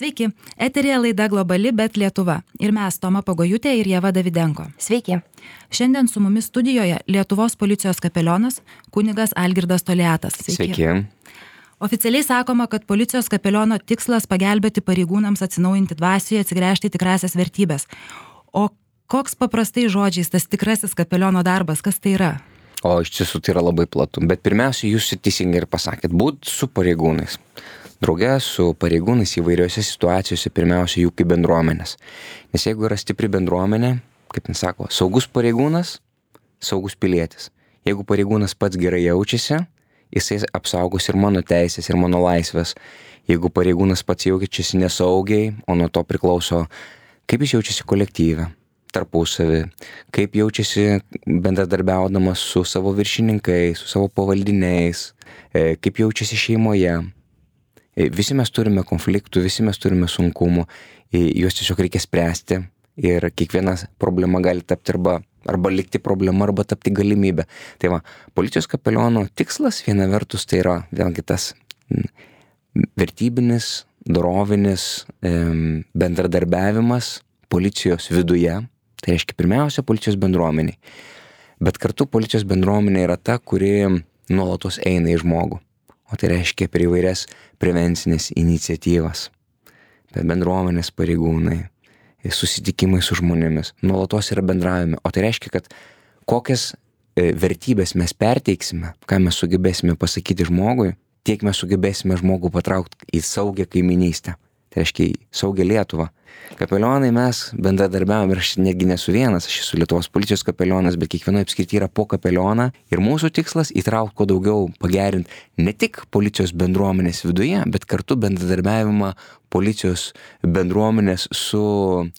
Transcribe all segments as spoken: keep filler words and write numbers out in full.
Sveiki, eterėje laida Globali, bet Lietuva. Ir mes, Toma Pagojutė ir Ieva Davidenko. Sveiki. Šiandien su mumis studijoje Lietuvos policijos kapelionas kunigas Algirdas Toliatas. Sveiki. Sveiki. Oficialiai sakoma, kad policijos kapeliono tikslas pagelbėti pareigūnams atsinaujinti dvasioje, atsigręžti į tikrasias vertybės. O koks paprastai žodžiais tas tikrasis kapeliono darbas, kas tai yra? O iš tiesų tai yra labai platu. Bet pirmiausia, jūs teisingai ir pasakėt, būt su pareigūnais. Drauge su pareigūnais įvairiose situacijose, pirmiausia, jų kaip bendruomenės. Nes jeigu yra stipri bendruomenė, kaip jis sako, saugus pareigūnas, saugus pilietis. Jeigu pareigūnas pats gerai jaučiasi, jisai apsaugos ir mano teisės, ir mano laisvės. Jeigu pareigūnas pats jaučiasi nesaugiai, o nuo to priklauso, kaip jis jaučiasi kolektyve, tarpusavį, kaip jaučiasi bendradarbiaudamas su savo viršininkais, su savo pavaldiniais, kaip jaučiasi šeimoje. Visi mes turime konfliktų, visi mes turime sunkumų, juos tiesiog reikia spręsti ir kiekviena problema gali tapti arba, arba likti problema, arba tapti galimybė. Tai va, policijos kapeliono tikslas viena vertus tai yra vėlgi tas vertybinis, dorovinis bendradarbiavimas policijos viduje, tai reiškia pirmiausia policijos bendruomeniai. Bet kartu policijos bendruomenė yra ta, kuri nuolatos eina į žmogų. O tai reiškia per įvairias prevencinės iniciatyvas, per bendruomenės pareigūnai, susitikimai su žmonėmis, nuolatos yra bendravime. O tai reiškia, kad kokias vertybės mes perteiksime, ką mes sugebėsime pasakyti žmogui, tiek mes sugebėsime žmogų patraukti į saugią kaiminystę. Tai reiškia į saugią Lietuvą. Kapelionai mes bendradarbiavom ir aš netgi nesu vienas, aš esu Lietuvos policijos kapelionas, bet kiekvienoje apskrityje yra po kapelioną ir mūsų tikslas įtraukti kuo daugiau, pagerinti ne tik policijos bendruomenės viduje, bet kartu bendradarbiavimą policijos bendruomenės su,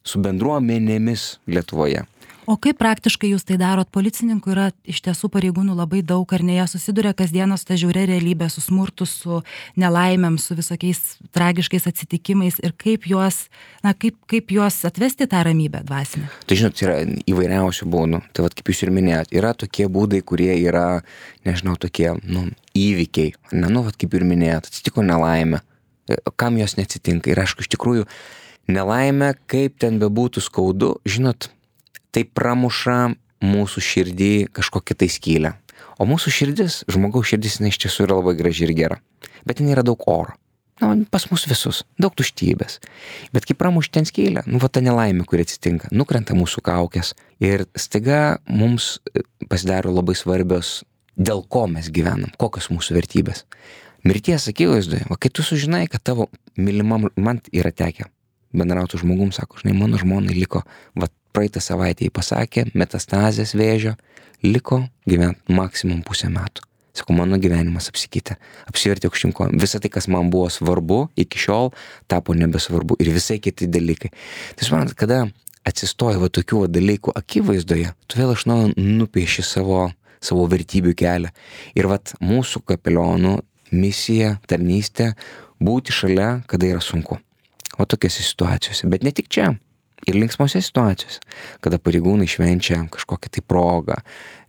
su bendruomenėmis Lietuvoje. O kaip praktiškai jūs tai darot? Policininkų yra iš tiesų pareigūnų labai daug, ar ne, jie susiduria kasdieną su ta žiauria realybė, su smurtu, su nelaimėm, su visokiais tragiškais atsitikimais ir kaip juos, na, kaip, kaip juos atvesti tą ramybę dvasinę? Tai žinot, yra įvairiausių būdų. Tai vat, kaip jūs ir minėjot, yra tokie būdai, kurie yra, nežinau, tokie, nu, įvykiai. Ne, nu, vat, kaip ir minėjot, atsitiko nelaimė. Kam jos neatsitinka? Ir aišku, iš tikrųjų, nelaimė, kaip ten bebūtų skaudu, žinot, tai pramuša mūsų širdį kažkokią tai skylę. O mūsų širdis, žmogaus širdis, jinai iš tiesų yra labai graži ir gera. Bet ten yra daug oro. Na, pas mus visus. Daug tuštybės. Bet kai pramuši ten skylę, nu, va ta nelaimė, kuri atsitinka, nukrenta mūsų kaukės. Ir staiga mums pasidaro labai svarbios, dėl ko mes gyvenam, kokios mūsų vertybės. Mirties akivaizdoje, va kai tu sužinai, kad tavo mylimam, man yra tekę bendrauti žmogum, sako, žinai, mano žmonai liko, va praeitą savaitę jį pasakė, metastazės vėžio, liko gyventi maksimum pusę metų. Sako, mano gyvenimas apsikeitė, apsivertė aukštyn kojom. Visa tai, kas man buvo svarbu, iki šiol tapo nebesvarbu ir visai kiti dalykai. Tai suprantat, kada atsistoja va tokių va dalykų akivaizdoje, tu vėl iš naujo nupieši savo, savo vertybių kelią. Ir vat mūsų kapelionų misija, tarnystė, būti šalia, kada yra sunku. O tokiose situacijose, bet ne tik čia. Ir linksmose situacijose, kada pareigūnai švenčia kažkokią tai progą,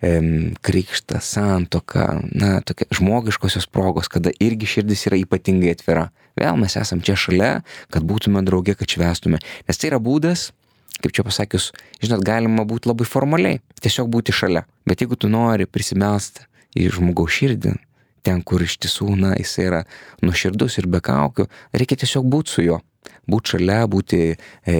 em, krikštą, santuoką, na, tokia žmogiškosios progos, kada irgi širdis yra ypatingai atvira. Vėl mes esam čia šalia, kad būtume drauge, kad švęstume. Nes tai yra būdas, kaip čia pasakius, žinot, galima būti labai formaliai, tiesiog būti šalia. Bet jeigu tu nori prisimelsti į žmogaus širdį, ten, kur iš tiesų, na, jis yra nuoširdus ir be kaukių, reikia tiesiog būti su juo. Būti šalia, būti e,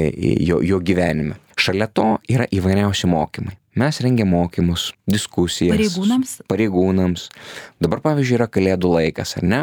jo, jo gyvenime. Šalia to yra įvairiausi mokymai. Mes rengiam mokymus, diskusijas. Pareigūnams? Pareigūnams. Dabar, pavyzdžiui, yra kalėdų laikas, ar ne?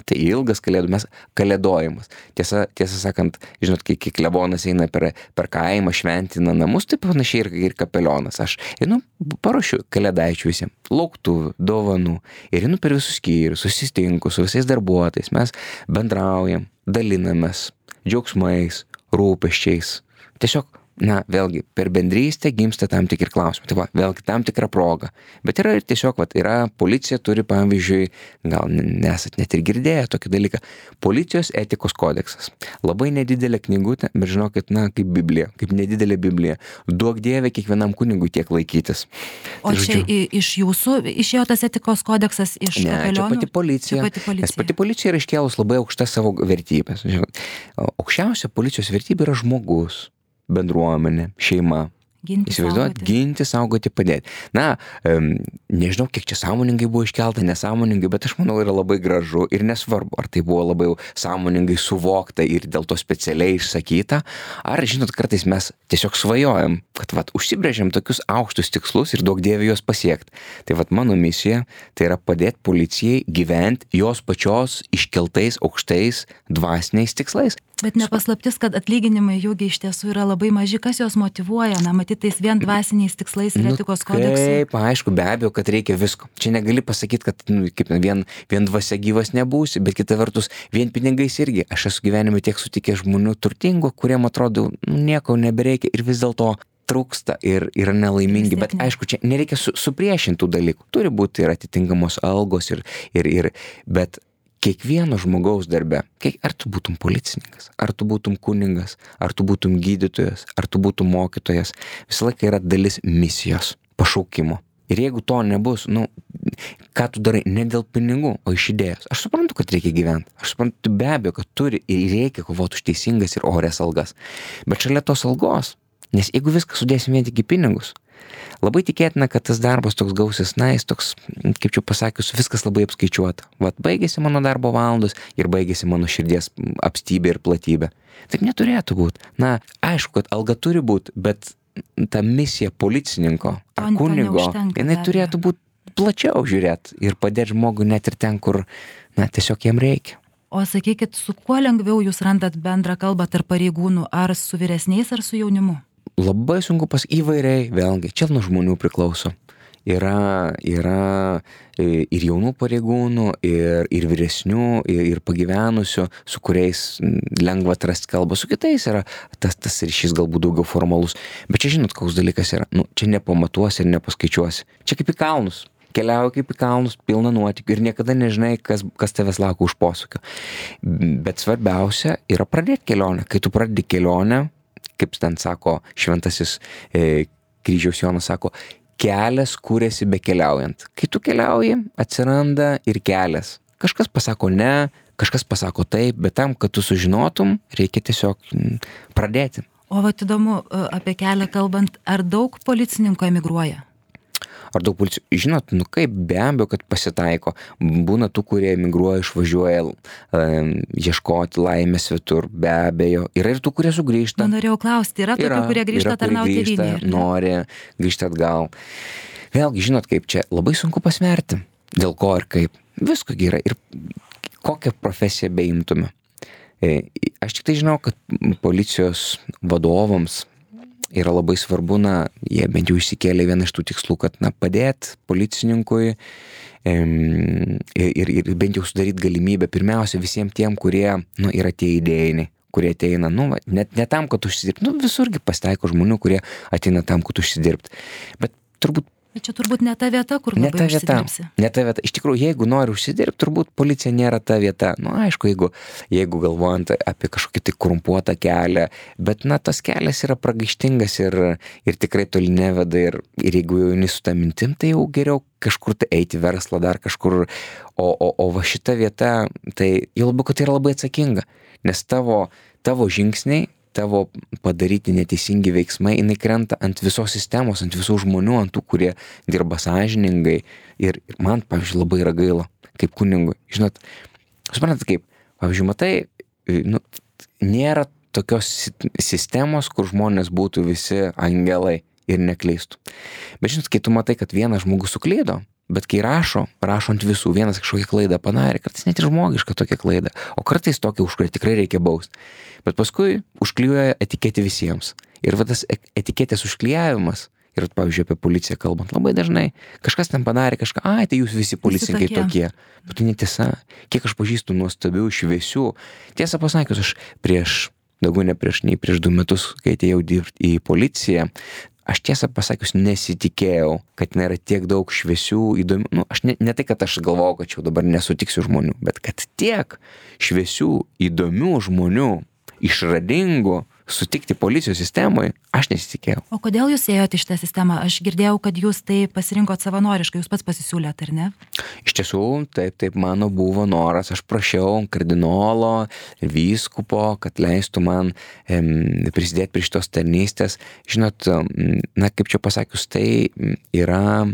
Tai ilgas kalėdų, mes kalėdojimas. Tiesa, tiesą sakant, žinot, kai, kai klebonas eina per, per kaimą, šventina namus, tai panašiai ir, ir kapelionas. Aš einu, paruošiu kalėdaičių visiems, lauktuvių, dovanų, ir einu per visus skyrius, susistinku su visais darbuotojais, mes bendraujam, dalinamės džiaugsmais, rūpesčiais. Tiesiog, na, vėlgi, per bendrystę gimsta tam tikri klausimai. Tai va, vėlgi, tam tikra proga. Bet yra ir tiesiog, va, yra, policija turi, pavyzdžiui, gal nesat net ir girdėję tokį dalyką, policijos etikos kodeksas. Labai nedidelė knygutė, bet žinokit, na, kaip Biblija, kaip nedidelė Biblija. Duok Dieve kiekvienam kunigui tiek laikytis. O tai, čia žodžiu, iš jūsų išėjo tas etikos kodeksas iš ne, kapelionų? Čia pati policija. Čia pati policija. Nes pati policija yra iškėlus labai aukštas savo vertybės. aukščiausia policijos vertybė yra žmogus, bendruomenė, šeima. Ginti, Įsivaizduot, saugoti. ginti, saugoti, padėti. Na, um, nežinau, kiek čia sąmoningai buvo iškelta, nesąmoningai, bet aš manau yra labai gražu ir nesvarbu, ar tai buvo labai sąmoningai suvokta ir dėl to specialiai išsakyta, ar, žinot, kartais mes tiesiog svajojam, kad vat, užsibrėžiam tokius aukštus tikslus ir daug dievė juos pasiekti. Tai vat mano misija tai yra padėti policijai gyventi jos pačios iškeltais aukštais dvasiniais tikslais. Bet nepaslaptis, kad atlyginimai jūgi iš tiesų yra labai maži, kas juos motyvuoja, na, matyt, tais vien dvasiniais tikslais ir etikos kodeksu. Taip, aišku, be abejo, kad reikia visko. Čia negali pasakyti, kad nu, kaip, vien, vien dvasia gyvas nebūsi, bet kita vertus, vien pinigais irgi. Aš esu gyvenime tiek sutikęs žmonių turtingų, kuriem atrodo, nu, nieko nebereikia ir vis dėlto trūksta ir yra nelaimingi, bet aišku, čia nereikia su, supriešintų dalykų. Turi būti ir atitinkamos algos ir, ir, ir bet kiekvieno žmogaus darbe, kiek, ar tu būtum policininkas, ar tu būtum kuningas, ar tu būtum gydytojas, ar tu būtum mokytojas, visą laiką yra dalis misijos, pašaukimo. Ir jeigu to nebus, nu, ką tu darai, ne dėl pinigų, o iš idėjos. Aš suprantu, kad reikia gyventi. Aš suprantu be abejo, kad turi ir reikia kovoti už teisingas ir orės algas. Bet šalia tos algos, nes jeigu viską sudėsim vien tik į pinigus, labai tikėtina, kad tas darbas toks gausis, na, jis toks, kaip čia pasakius, viskas labai apskaičiuota. Vat baigėsi mano darbo valandos ir baigėsi mano širdies apstybė ir platybė. Taip neturėtų būti. Na, aišku, kad alga turi būti, bet ta misija policininko ar To- to kunigo, neužtenka, jinai be abejo. turėtų būti plačiau žiūrėti ir padėti žmogui net ir ten, kur, na, tiesiog jam reikia. O sakykit, su kuo lengviau jūs randat bendrą kalbą tarp pareigūnų, ar su vyresniais, ar su jaunimu? Labai sunku pas įvairiai, vėlgi, čia nuo žmonių priklauso. Yra, yra e, ir jaunų pareigūnų, ir, ir vyresnių, ir, ir pagyvenusių, su kuriais mm, lengva atrasti kalbą, su kitais yra tas, tas ryšys galbūt daugiau formalus. Bet čia žinot, koks dalykas yra, nu, čia nepamatuosi ir nepaskaičiuosi. Čia kaip į kalnus. Keliauji kaip į kalnus, pilna nuotykių ir niekada nežinai, kas, kas tavęs laukia už posūkio. Bet svarbiausia yra pradėti kelionę. Kai tu pradedi kelionę, kaip ten sako šventasis e, kryžiaus Jonas, sako, kelias kūrėsi bekeliaujant. Kai tu keliauji, atsiranda ir kelias. Kažkas pasako ne, kažkas pasako taip, bet tam, kad tu sužinotum, reikia tiesiog mm, pradėti. O vat įdomu, e, apie kelią kalbant, ar daug policininkų emigruoja? Ar daug policijų? Žinot, nu kaip, be abejo, kad pasitaiko. Būna tų, kurie emigruoja, išvažiuoja um, ieškoti laimės svetur, be abejo. Yra ir tų, kurie sugrįžta. Nu, norėjau klausti, yra tokių, Yra, kurie grįžta yra, kurie tarnauti grįžta, tėvynėje, ar ne? nori grįžti atgal. Vėlgi, žinot, kaip čia labai sunku pasverti. Dėl ko ir kaip. Visko yra. Ir kokią profesiją beimtume. E, Aš tik tai žinau, kad policijos vadovams yra labai svarbu, na, jie bent jau išsikėlė vieną iš tų tikslų, kad, na, padėti policininkui em, ir, ir bent jau sudaryti galimybę pirmiausia visiems tiem, kurie, nu, yra tie idėjiniai, kurie ateina, nu, va, net ne tam, kad užsidirbti, nu, visurgi pasitaiko žmonių, kurie ateina tam, kad užsidirbti. Bet turbūt Bet čia turbūt ne ta vieta, kur Ne labai ta vieta, užsidirbsi. ne ta vieta. Iš tikrųjų, jeigu nori užsidirbti, turbūt policija nėra ta vieta. Nu, aišku, jeigu, jeigu galvojant apie kažkokį tai korumpuotą kelią, bet, na, tas kelias yra pragaištingas ir, ir tikrai toli neveda ir, ir jeigu jau eini su tą mintim, tai jau geriau kažkur tai eiti verslą, dar kažkur, o, o, o va šita vieta, tai jau labiau, kad tai yra labai atsakinga, nes tavo, tavo žingsniai, tavo padaryti neteisingi veiksmai, jinai krenta ant visos sistemos, ant visų žmonių, ant tų, kurie dirba sąžiningai. Ir, ir man, pavyzdžiui, labai yra gaila, kaip kunigui. Žinot, suprantat kaip, pavyzdžiui, matai, nu, nėra tokios sistemos, kur žmonės būtų visi angelai ir nekleistų. Bet žinot, kai tu matai, kad vienas žmogus suklydo, bet kai rašo, rašo ant visų, vienas kažkokią klaidą padarė, kartais net ir žmogišką tokią klaidą, o kartais tokią, už kurią tikrai reikia bausti. Bet paskui užklijuoja etiketę visiems. Ir va tas etiketės užklijavimas, ir pavyzdžiui apie policiją kalbant, labai dažnai kažkas ten padarė kažką, ai, tai jūs visi policininkai tokie. Bet tai netiesa. Kiek aš pažįstu nuostabių, šviesių. Tiesą pasakius, aš prieš, daugiau ne prieš, nei prieš du metus, kai atėjau dirbti į policiją, aš tiesą pasakius nesitikėjau, kad nėra tiek daug šviesių, įdomių, nu, aš ne, ne tai, kad aš galvojau, kad čia dabar nesutiksiu žmonių, bet kad tiek šviesių, įdomių žmonių, išradingų, sutikti policijos sistemoje, aš nesitikėjau. O kodėl jūs ėjote į šitą sistemą? Aš girdėjau, kad jūs tai pasirinkot savanoriškai, jūs pats pasisiūlėt, ar ne? Iš tiesų, taip, taip mano buvo noras. Aš prašiau kardinolo, vyskupo, kad leistų man em, prisidėti prie šitos tarnystės. Žinot, na, kaip čia pasakius, tai yra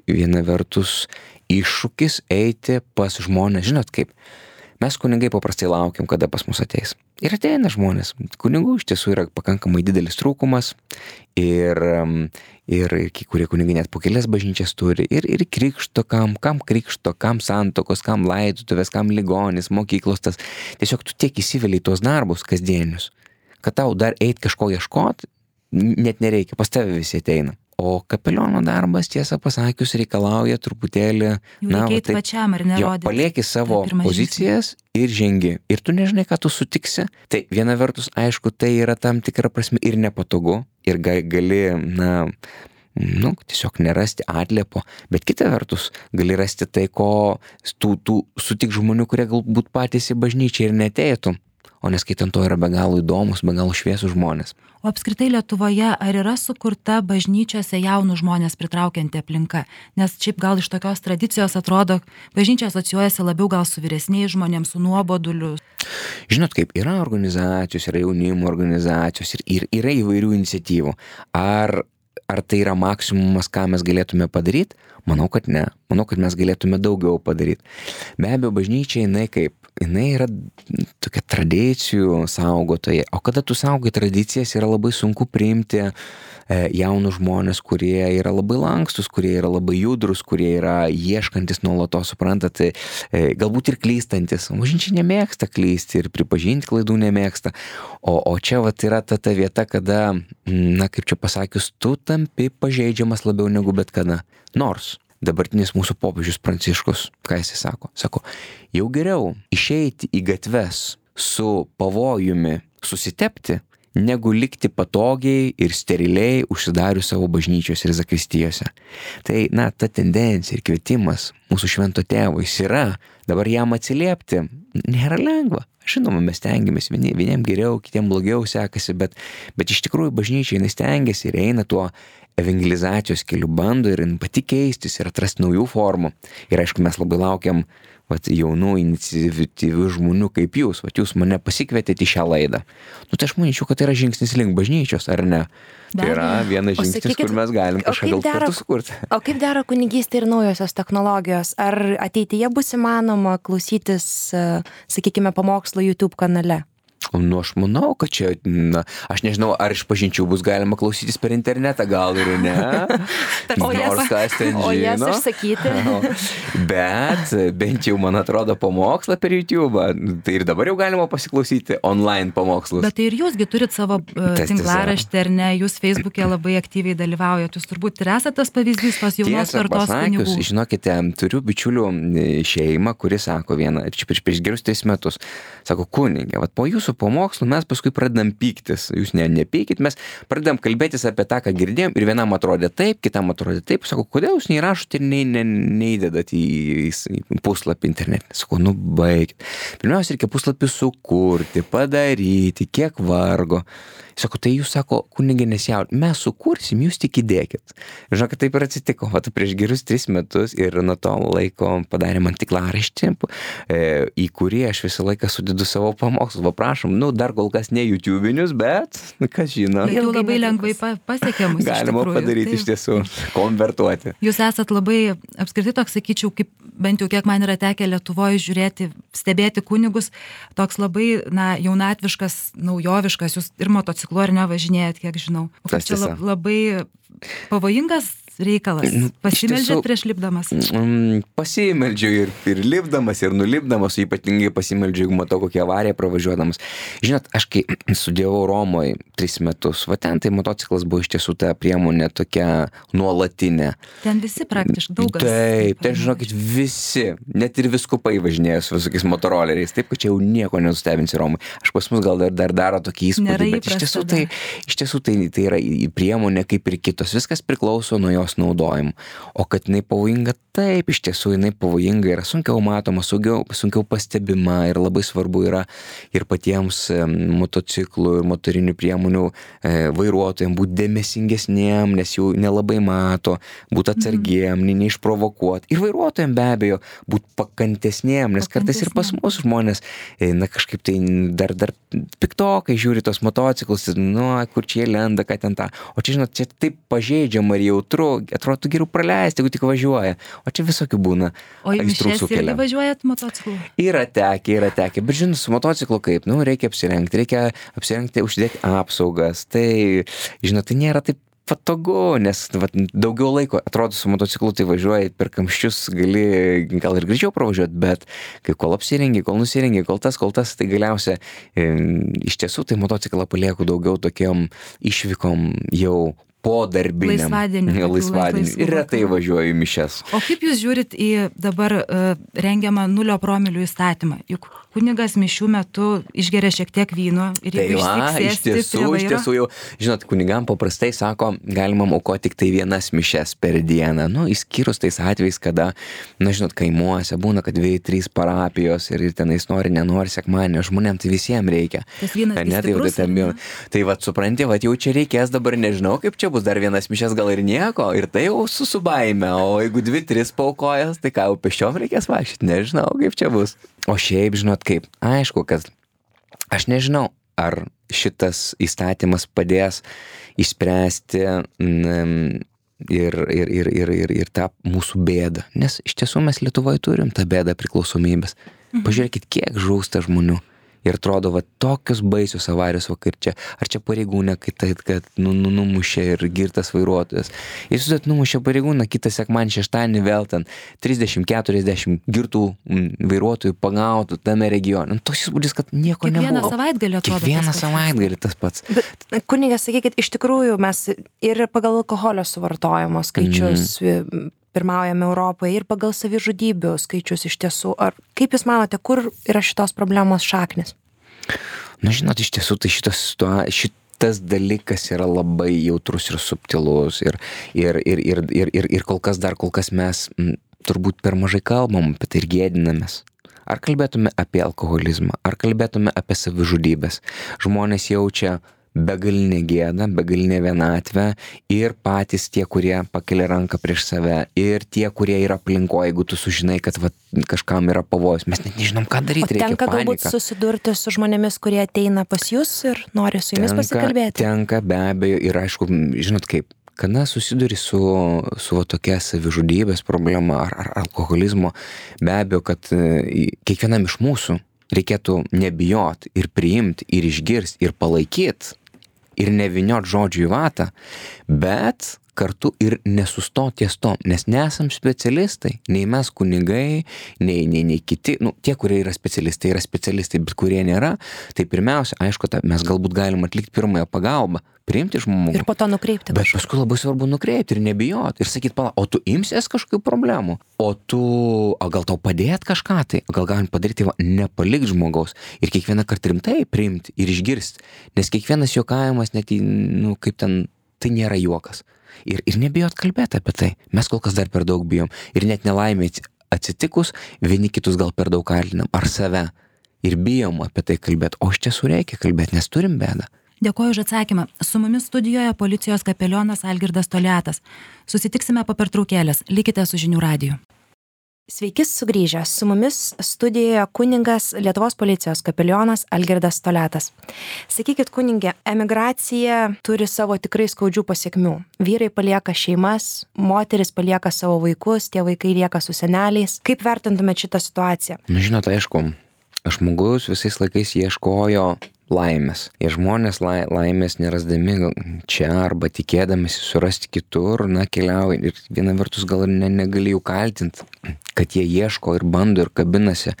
viena vertus iššūkis eiti pas žmonės. Žinot kaip, mes kunigai paprastai laukiam, kada pas mus ateis. Ir ateina žmonės. Kunigų iš tiesų yra pakankamai didelis trūkumas ir, ir kai kurie kunigai net po kelias bažnyčias turi. Ir, ir krikšto, kam, kam krikšto, kam santokos, kam laidotuvės, kam ligonis, mokyklos. Tas. Tiesiog tu tiek įsiveli į tuos darbus kasdienius, kad tau dar eit kažko ieškot, net nereikia, pas tave visi ateina. O kapeliono darbas, tiesą pasakius, reikalauja truputėlį... Jau reikia eit pačiam, ar nerodyti. Palieki savo pozicijas ir žengi. Ir tu nežinai, ką tu sutiksi. Tai viena vertus, aišku, tai yra tam tikra prasme ir nepatogu. Ir gali, na, nu, tiesiog nerasti atliepo. Bet kita vertus, gali rasti tai, ko tu, tu sutik žmonių, kurie galbūt patys į bažnyčią ir neteitų. O neskaitant to yra be galo įdomus, be galo šviesų žmonės. O apskritai Lietuvoje ar yra sukurta bažnyčiose jaunų žmonės pritraukianti aplinka? Nes šiaip gal iš tokios tradicijos atrodo, bažnyčia asocijuojasi labiau gal su vyresniais žmonėms, su nuoboduliu. Žinot kaip, yra organizacijos, yra jaunimo organizacijos ir, ir yra įvairių iniciatyvų. Ar, ar tai yra maksimumas, ką mes galėtume padaryti? Manau, kad ne. Manau, kad mes galėtume daugiau padaryti. Be abejo, bažnyčia jinai kaip, jinai yra tokia tradicijų saugotoja. O kada tu saugai tradicijas, yra labai sunku priimti e, jaunus žmonės, kurie yra labai lankstus, kurie yra labai judrus, kurie yra ieškantis nuolatos, suprantat, e, galbūt ir klystantis. Bažnyčia nemėgsta klysti ir pripažinti klaidų nemėgsta. O, o čia vat yra ta, ta vieta, kada, na kaip čia pasakius, tu tampi pažeidžiamas labiau negu bet kada. Nors dabartinis mūsų popiežius Pranciškus, ką jis sako? Sako, jau geriau išeiti į gatves su pavojumi susitepti, negu likti patogiai ir steriliai užsidarius savo bažnyčios ir zakristijose. Tai, na, ta tendencija ir kvietimas mūsų švento tėvo, jis yra, dabar jam atsiliepti nėra lengva. Žinoma, mes stengiamės, vieni, vieniem geriau, kitiem blogiau sekasi, bet, bet iš tikrųjų bažnyčia jinai stengiasi ir eina tuo evangelizacijos keliu, bando ir pati keistis ir atrasti naujų formų. Ir aišku, mes labai laukiam vat, jaunų iniciatyvių žmonių kaip jūs. Vat, jūs mane pasikvietėte į šią laidą. Nu, tai aš manyčiau, kad tai yra žingsnis link bažnyčios, ar ne? Be tai yra vienas žingsnis, sakykit, kur mes galim kažką gal kartu sukurti. O kaip dera kunigystė ir naujosios technologijos? Ar ateityje bus įmanoma klausytis, sakykime, pamokslo YouTube kanale? Nu, aš manau, kad čia, na, aš nežinau, ar iš pažinčių bus galima klausytis per internetą, gal ir ne. o jas, o jas išsakyti. Bet bent jau, man atrodo, pamokslą per YouTube. Tai ir dabar jau galima pasiklausyti online pamokslus. Bet tai ir jūsgi turit savo uh, tinklaraštį, ar ne? Jūs Facebook'e labai aktyviai dalyvaujat. Jūs turbūt ir esate tas pavyzdys tos jaunos kartos kunigų. Žinokite, turiu bičiulių šeimą, kuri sako vieną, čia prieš, prieš gerus tris metus, sako, kunigė, vat po jūsų pamokslų mes paskui pradedam pyktis. Jūs ne, nepykit, mes pradedam kalbėtis apie tą, ką girdėjom ir vienam atrodė taip, kitam atrodė taip. Sako, kodėl jūs neįrašote ir ne, ne, neįdedat į, į puslapį internetinį? Sako, nu baigit. Pirmiausia, reikia puslapį sukurti, padaryti, kiek vargo. Sako, tai jūs, sako, kunigė nesijaudit, mes sukursim, jūs tik įdėkit. Ir žinokit, taip ir atsitiko. Vat prieš gerus tris metus ir nuo to laiko padarė man tinklaraštį, e, į kurį aš visą laiką sudedu savo pamokslus. Va prašom, nu dar kol kas ne YouTube'inius, bet, nu, kas žino. Jau labai lengvai pasiekiamus. Galima padaryti tai, iš tiesų, konvertuoti. Jūs esat labai, apskritai toks, sakyčiau, kaip bent jau kiek man yra tekę Lietuvoje žiūrėti, stebėti kunigus, toks labai, na, jaunatviškas, naujoviškas, jūs ir motociklu ar nevažinėjat, kiek žinau. O kaip čia labai pavojingas reikalas? Pasimeldžiat prieš lipdamas? Mm, pasimeldžiu ir, ir lipdamas, ir nulipdamas, ypatingai pasimeldžiu, jeigu matau kokią avariją pravažiuodamas. Žinot, aš kai studijavau Romoje tris metus, va ten tai motociklas buvo iš tiesų ta priemonė tokia nuolatinė. Ten visi praktiškai daugas. Taip, ten žinokit, visi, net ir viskupai važinėjo su visokiais motoroleriais, taip, kad čia jau nieko nenustebinsi Romoje. Aš pas mus gal dar, dar daro tokį įspūdį, bet iš tiesų, tai, iš tiesų tai, tai yra priemonė kaip ir kitos. Viskas priklauso nuo jos jos naudojimu. O kad jinai pavojinga, taip, iš tiesų jinai pavojinga, yra sunkiau matoma, sunkiau, sunkiau pastebima ir labai svarbu yra ir patiems motociklų ir motorinių priemonių e, vairuotojams būti dėmesingesniem, nes jų nelabai mato, būti atsargiem, mm. neišprovokuoti. Ir vairuotojams be abejo būti pakantesniem, nes kartais ir pas mus žmonės, na kažkaip tai dar, dar piktokai žiūri tos motociklus, nu, kur čia jie lenda, ką ten tą. O čia, žinot, čia taip pažeidžiama ir jautru, atrodo geriau praleisti, jeigu tik važiuoja. O čia visokių būna. O į mišes irgi važiuojat motociklu? Yra tekę, yra tekę. Bet žinot, su motociklu kaip, nu, reikia apsirengti, reikia apsirengti, užsidėti apsaugas. Tai, žinot, tai nėra taip patogu, nes vat, daugiau laiko, atrodo, su motociklu tai važiuoji per kamščius, gali gal ir greičiau pravažiuoti, bet kai kol apsirengi, kol nusirengi, kol tas, kol tas, tai galiausia e, iš tiesų tai motociklą palieku daugiau tokiom išvykom jau po darbiniam. Laisvadienį. Laisvadienį. Ir retai važiuoju į mišes. O kaip jūs žiūrit į dabar uh, rengiamą nulio promilių įstatymą? Juk kunigas mišių metu išgeria šiek tiek vyno ir tai jeigu va, iš tiesų, iš tiesų jau, žinot, kunigam paprastai sako, galima aukoti tik tai vienas mišes per dieną. Nu, išskyrus tais atvejais, kada, na, žinot, kaimuose būna, kad dviejų, trys parapijos ir, ir tenais nori, nenori sekmadienio, žmonėm tai visiems reikia. Tas vynas ne, tai, stiprus, tai, tai, tai va, supranti, va, jau čia reikės dabar, nežinau, kaip čia bus dar vienas mišes, gal ir nieko, ir tai jau su subaime, o jeigu dvi, tris paukojas, tai ką, jau pėsčiom reikės vaikščioti, nežinau, kaip čia bus. O šiaip, žinot, kaip, aišku, kad aš nežinau, ar šitas įstatymas padės išspręsti mm, ir, ir, ir, ir, ir, ir tą mūsų bėdą, nes iš tiesų mes Lietuvoje turim tą bėdą priklausomybės. Mhm. Pažiūrėkit, kiek žūsta žmonių. Ir atrodo, va, tokios baisios avarijos vakar čia. Ar čia pareigūnė, kai tai, kad nu, nu, numušė ir girtas vairuotojas. Ir jūs numušė pareigūną, kitą sekmanį šeštadienį vėl ten trisdešimt keturiasdešimt girtų vairuotojų pagautų tame regione. Nu, toks įspūdis, kad nieko nebuvo. Kiekvieną savaitgalį atrodo. Kiekvieną savaitgalį tas pats. Bet, kunigas, sakykit, iš tikrųjų mes ir pagal alkoholio suvartojimo skaičius mm. pirmaujame Europoje ir pagal savižudybių skaičius iš tiesų. Ar kaip jūs manote, kur yra šitos problemos šaknis? Na, žinot, iš tiesų tai šitas, šitas dalykas yra labai jautrus ir subtilus ir, ir, ir, ir, ir, ir, ir kol kas dar kol kas mes m, turbūt per mažai kalbam apie tai ir gėdinamės. Ar kalbėtume apie alkoholizmą, ar kalbėtume apie savižudybės. Žmonės jaučia begalinė gėda, begalinė vienatvė ir patys tie, kurie pakelia ranką prieš save ir tie, kurie yra aplinkoje, jeigu tu sužinai, kad va, kažkam yra pavojus, mes net nežinom, ką daryti, reikia panika. Tenka galbūt susidurti su žmonėmis, kurie ateina pas jūs ir nori su jumis tenka, pasikalbėti? Tenka, be abejo, ir aišku, žinot kaip, kada susiduri su, su va, tokia savižudybės problema ar, ar alkoholizmo, be abejo, kad kiekvienam iš mūsų reikėtų nebijot ir priimti ir išgirsti ir palaikyti ir neviniot žodžių į vatą, bet kartu ir nesustoti ties to, nes nesam specialistai, nei mes kunigai, nei, nei, nei kiti, nu, tie, kurie yra specialistai, yra specialistai, bet kurie nėra, tai pirmiausia, aišku, ta, mes galbūt galim atlikti pirmąją pagalbą, priimti žmogų. Ir po to nukreipti. Bet paskui labai svarbu nukreipti ir nebijoti ir sakyti, pala, o tu imsies kažkokių problemų, o tu, o gal tau padėti kažką tai, o gal galim padaryti, va, nepalikti žmogaus ir kiekvieną kartą rimtai priimti ir išgirsti, nes kiekvienas juokavimas, net, nu, kaip ten, tai nėra juokas. Ir, ir nebijot kalbėti apie tai. Mes kol kas dar per daug bijom. Ir net nelaimė atsitikus, vieni kitus gal per daug kaltinam. Ar save. Ir bijom apie tai kalbėti. O iš tiesų reikia kalbėti, nes turim bėdą. Dėkoju už atsakymą. Su mumis studijoje policijos kapelionas Algirdas Toliatas. Susitiksime po pertraukėlės. Likite su Žinių radiju. Sveiki sugrįžę. Su mumis studijoje kunigas Lietuvos policijos kapelionas Algirdas Toliatas. Sakykit, kunigė, emigracija turi savo tikrai skaudžių pasiekmių. Vyrai palieka šeimas, moteris palieka savo vaikus, tie vaikai lieka su seneliais. Kaip vertintumėt šitą situaciją? Nu, žinot, aišku, žmogus visais laikais ieškojo laimės. Ir žmonės lai, laimės nerasdami čia arba tikėdamasi surasti kitur, na, keliauja. Ir viena vertus gal ne, negali jų kaltinti, kad jie ieško ir bando ir kabinasi.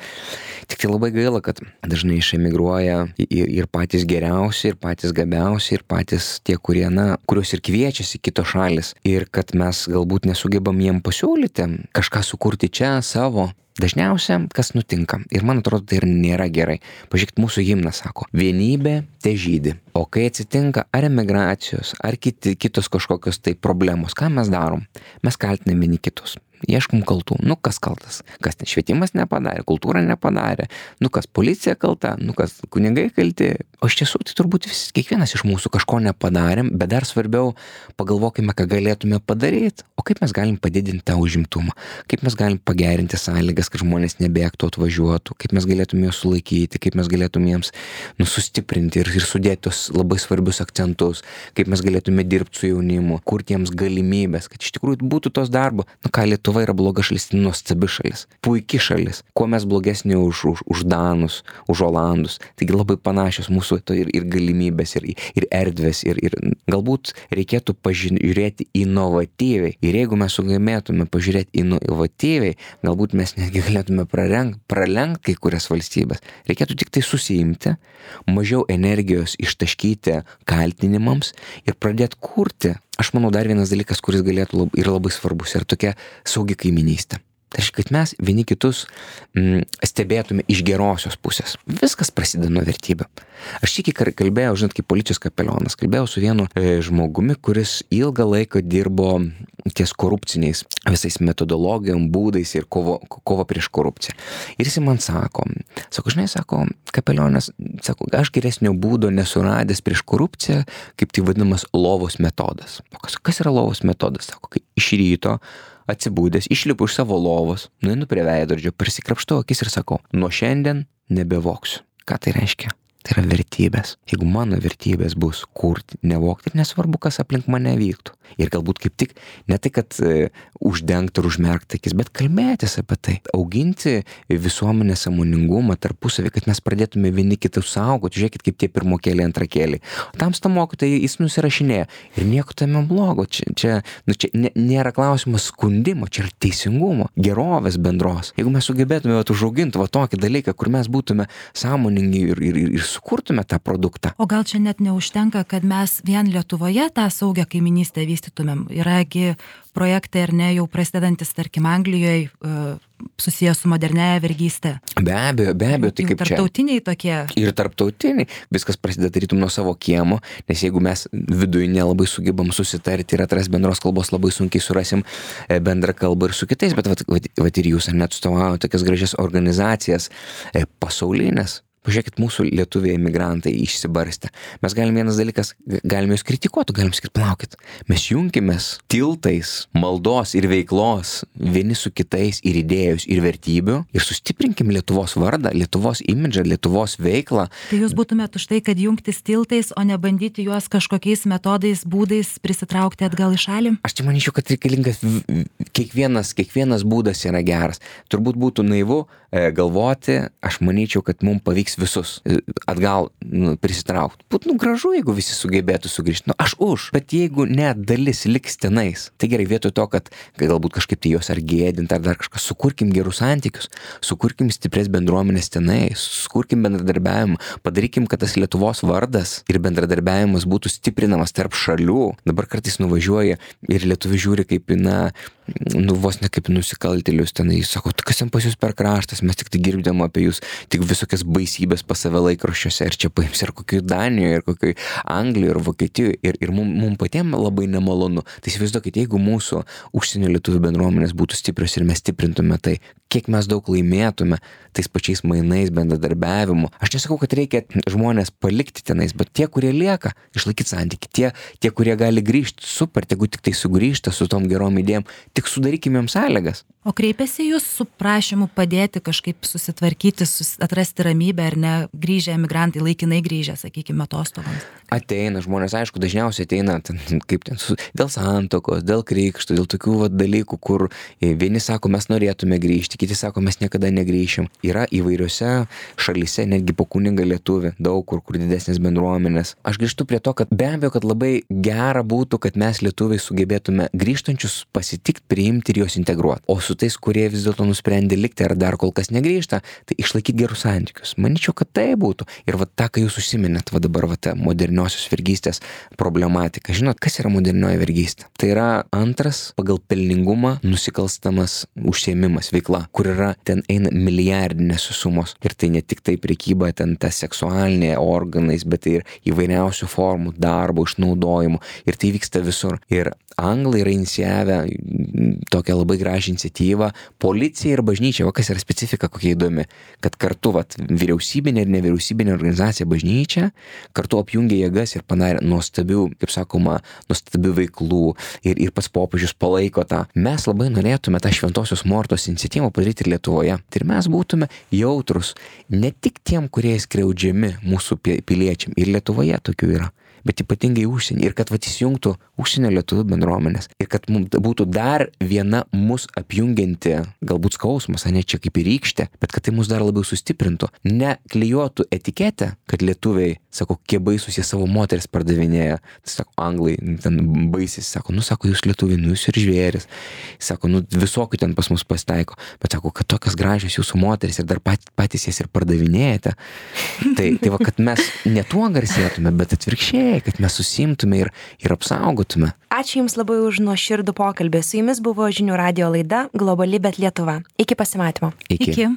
Tik tai labai gaila, kad dažnai išemigruoja ir, ir patys geriausi, ir patys gabiausi, ir patys tie, kurie, na, kuriuos ir kviečiasi kitos šalis. Ir kad mes galbūt nesugebam jiem pasiūlyti kažką sukurti čia savo. Dažniausia, kas nutinka, ir man atrodo, tai ir nėra gerai. Pažiūrėkit, mūsų himnas sako, vienybė te žydi, O kai atsitinka ar emigracijos, ar kiti, kitos kažkokios tai problemos, ką mes darom? Mes kaltiname vieni kitus. Ieškom kaltų. Nu, kas kaltas? Kas ten švietimas nepadarė, kultūra nepadarė, nu, kas policija kalta, nu, kas kunigai kalti. O iš tiesų, tai turbūt vis, kiekvienas iš mūsų kažko nepadarėm, bet dar svarbiau pagalvokime, ką galėtume padaryti. O kaip mes galim padidinti tą užimtumą? Kaip mes galim pagerinti sąlygas, kad žmonės nebėgtų, atvažiuotų? Kaip mes galėtume juos sulaikyti? Kaip mes galėtume jiems nu, sustiprinti ir, ir sudėti tos labai svarbius akcentus? Kaip mes galėtume dirbti su jaunimu? Kurti jiems galimybės, kad iš tikrųjų būtų tos darbo. Nu, ką Lietuva yra bloga šalis, tai nuostabi šalis, puiki šalis. Kuo mes blogesni už, už, už Danus, už Olandus. Taigi labai panašios mūsų to ir, ir galimybės, ir, ir erdvės, ir, ir galbūt reikėtų pažiūrėti inovatyviai. Ir jeigu mes sugebėtume pažiūrėti inovatyviai, galbūt mes netgi galėtume pralenkt, pralenkt kai kurias valstybės. Reikėtų tik tai susiimti, mažiau energijos ištaškyti kaltinimams ir pradėti kurti. Aš manau, dar vienas dalykas, kuris galėtų lab, yra labai svarbus, yra tokia saugi kaiminystė. Tai reiškia, kad mes vieni kitus mm, stebėtume iš gerosios pusės. Viskas prasideda nuo vertybių. Aš tik kalbėjau, žinot, kaip policijos kapelionas, kalbėjau su vienu e, žmogumi, kuris ilgą laiką dirbo ties korupciniais visais metodologijom, būdais ir kovo, kovo prieš korupciją. Ir jis man sako, sako, žinai, sako, kapelionas, sako, aš geresnio būdo nesuradęs prieš korupciją, kaip tai vadinamas lovos metodas. O kas, kas yra lovos metodas? Sako, kai iš ryto atsibūdęs, išlipu iš savo lovos, nueinu prie veidrodžio, prasikrapštau akis ir sakau, nuo šiandien nebevoksiu. Ką tai reiškia? Tai yra vertybės. Jeigu mano vertybės bus kurti, nevokti ir nesvarbu, kas aplink mane vyktų. Ir galbūt kaip tik ne tai, kad e, uždengti ir užmerkti akis, bet kalbėtis apie tai. Auginti visuomenės sąmoningumą tarpusavį, kad mes pradėtume vieni kitus saugoti. Žiūrėkit, kaip tie pirmokėliai, antrakėliai. O tamsta mokytojai jis nusirašinėja. Ir nieko tame blogo. Čia, čia, nu, čia nė, nėra klausimas skundimo, čia yra teisingumo, gerovės bendros. Jeigu mes sugebėtume vat, užauginti va tokį dalyką, kur mes būtume sąmoningi ir, ir, ir, ir sukurtume tą produktą. O gal čia net neužtenka, kad mes vien Lietuvoje tą saugią kaiminystę vystytumėm. Yragi projektai ar ne jau prasidedantis, tarkim, Anglijoje susijęs su modernėja vergystė. Be abejo, be abejo, tai kaip čia. Tarptautiniai tokie. Ir tarptautiniai. Viskas prasideda tarytum nuo savo kiemo, nes jeigu mes viduje nelabai sugebam susitarti ir atras bendros kalbos, labai sunkiai surasim bendrą kalbą ir su kitais, bet vat, vat, vat ir jūs ar net atstovauja tokias gražias organizacijas pasaulinės. Pažiūrėkit, mūsų lietuviai emigrantai išsibarstę. Mes galim vienas dalykas, galime jūs kritikuoti, galim sakyti, plaukit. Mes junkimės tiltais, maldos ir veiklos vieni su kitais ir idėjus ir vertybių ir sustiprinkim Lietuvos vardą, Lietuvos imidžą, Lietuvos veiklą. Tai jūs būtumėt už tai, kad jungtis tiltais, o ne bandyti juos kažkokiais metodais, būdais prisitraukti atgal į šalį? Aš tai manyčiau, kad reikalingas kiekvienas, kiekvienas būdas yra geras. Turbūt būtų naivu e, galvoti, aš manyčiau, kad mums pavyks visus atgal nu, prisitraukti. Būtų nu, gražu, jeigu visi sugebėtų sugrįžti. Nu, aš už. Bet jeigu net dalis liks tenais, tai gerai, vietoj to, kad galbūt kažkaip tai jos ar gėdinti, ar dar kažką, sukurkim gerus santykius, sukurkim stiprias bendruomenės tenais, sukurkim bendradarbiavimą, padarykim, kad tas Lietuvos vardas ir bendradarbiavimas būtų stiprinamas tarp šalių. Dabar kartais nuvažiuoja ir lietuviai žiūri kaip, na, nu, vos ne kaip nusikaltėlius tenai, sako, kas ten pas jūs per kraštas, mes tik tai girdėjom apie jūs, tik visokias baisybės pas save laikraščiuose, ir čia paims ir kokioj Danijoje, ir kokioj Anglijoje, ir Vokietijoje, ir, ir mum, mum patiem labai nemalonu. Tai įsivaizduokit, jeigu mūsų užsienio lietuvių bendruomenės būtų stiprios ir mes stiprintume tai, kiek mes daug laimėtume tais pačiais mainais, bendradarbiavimu. Aš nesakau, kad reikia žmonės palikti tenais, bet tie, kurie lieka, išlaikyti santykį, tie, tie, kurie gali grįžti, super, jeigu tik tai sugrįžta su tom gerom idėjom, tik sudarykime jiems sąlygas. O kreipiasi jūs su prašymu padėti kažkaip susitvarkyti, sus, atrasti ramybę ar ne grįžę emigrantai, laikinai grįžę, sakykime, atostogams? Ateina žmonės, aišku, dažniausiai ateina ten, kaip ten, su, dėl santokos, dėl krikšto, dėl tokių va, dalykų, kur vieni sako, mes norėtume grįžti, kiti sako, mes niekada negrįšim. Yra įvairiose šalyse, netgi po kunigą lietuvį, daug kur, kur didesnės bendruomenės. Aš grįžtu prie to, kad be abejo, kad labai gera būtų, kad mes lietuviai sugebėtume grįžtančius pasitikti priimti ir juos integruoti. O su tais, kurie vis dėlto nusprendė likti ar dar kol kas negrįžta, tai išlaikyti gerus santykius. Manyčiau, kad tai būtų. Ir va tą, ką jūs užsiminėt, va dabar va ta moderniosios vergystės problematika. Žinot, kas yra modernioji vergystė? Tai yra antras pagal pelningumą nusikalstamas užsiėmimas, veikla, kur yra ten eina milijardinės sumos. Ir tai ne tik tai prekyba, ten ta seksualinė organais, bet tai ir įvairiausių formų darbo, išnaudojimų. Ir tai vyksta visur. Ir anglai yra inicijavę tokią labai gražią iniciatyvą. Policija ir bažnyčia, va kas yra specifika kokia įdomi, kad kartu vat, vyriausybinė ir nevyriausybinė organizacija bažnyčia kartu apjungė jėgas ir padarė nuostabių, kaip sakoma, nuostabių veiklų ir, ir pats popiežius palaiko tą. Mes labai norėtume tą Šventosios Mortos iniciatyvą padaryti ir Lietuvoje. Tai ir mes būtume jautrus ne tik tiem, kurie skriaudžiami mūsų piliečiam. Ir Lietuvoje tokių yra. Bet ypatingai užsienį. Ir kad vat įsijungtų užsienio lietuvių bendruomenės. Ir kad mums būtų dar viena mus apjungianti, galbūt skausmas, ne čia kaip ir rykštė, bet kad tai mus dar labiau sustiprintų. Ne klijuotų etiketę, kad lietuviai, sako, kiek baisus jie savo moteris pardavinėja. Tai sako, anglai ten baisys, sako, nu sako, jūs lietuviai, nu jūs ir žvėris. Sako, nu visokių ten pas mus pasitaiko. Bet sako, kad tokias gražios jūsų moteris ir dar pat, patys jas ir pardavinėjate. Tai, tai va, kad mes ne tuo garsėtume, bet atvirkščiai, kad mes susimtume ir, ir apsaugotume. Ačiū Jums labai už nuoširdų pokalbį. Su Jumis buvo Žinių radijo laida Globali, bet Lietuva. Iki pasimatymo. Iki. Iki.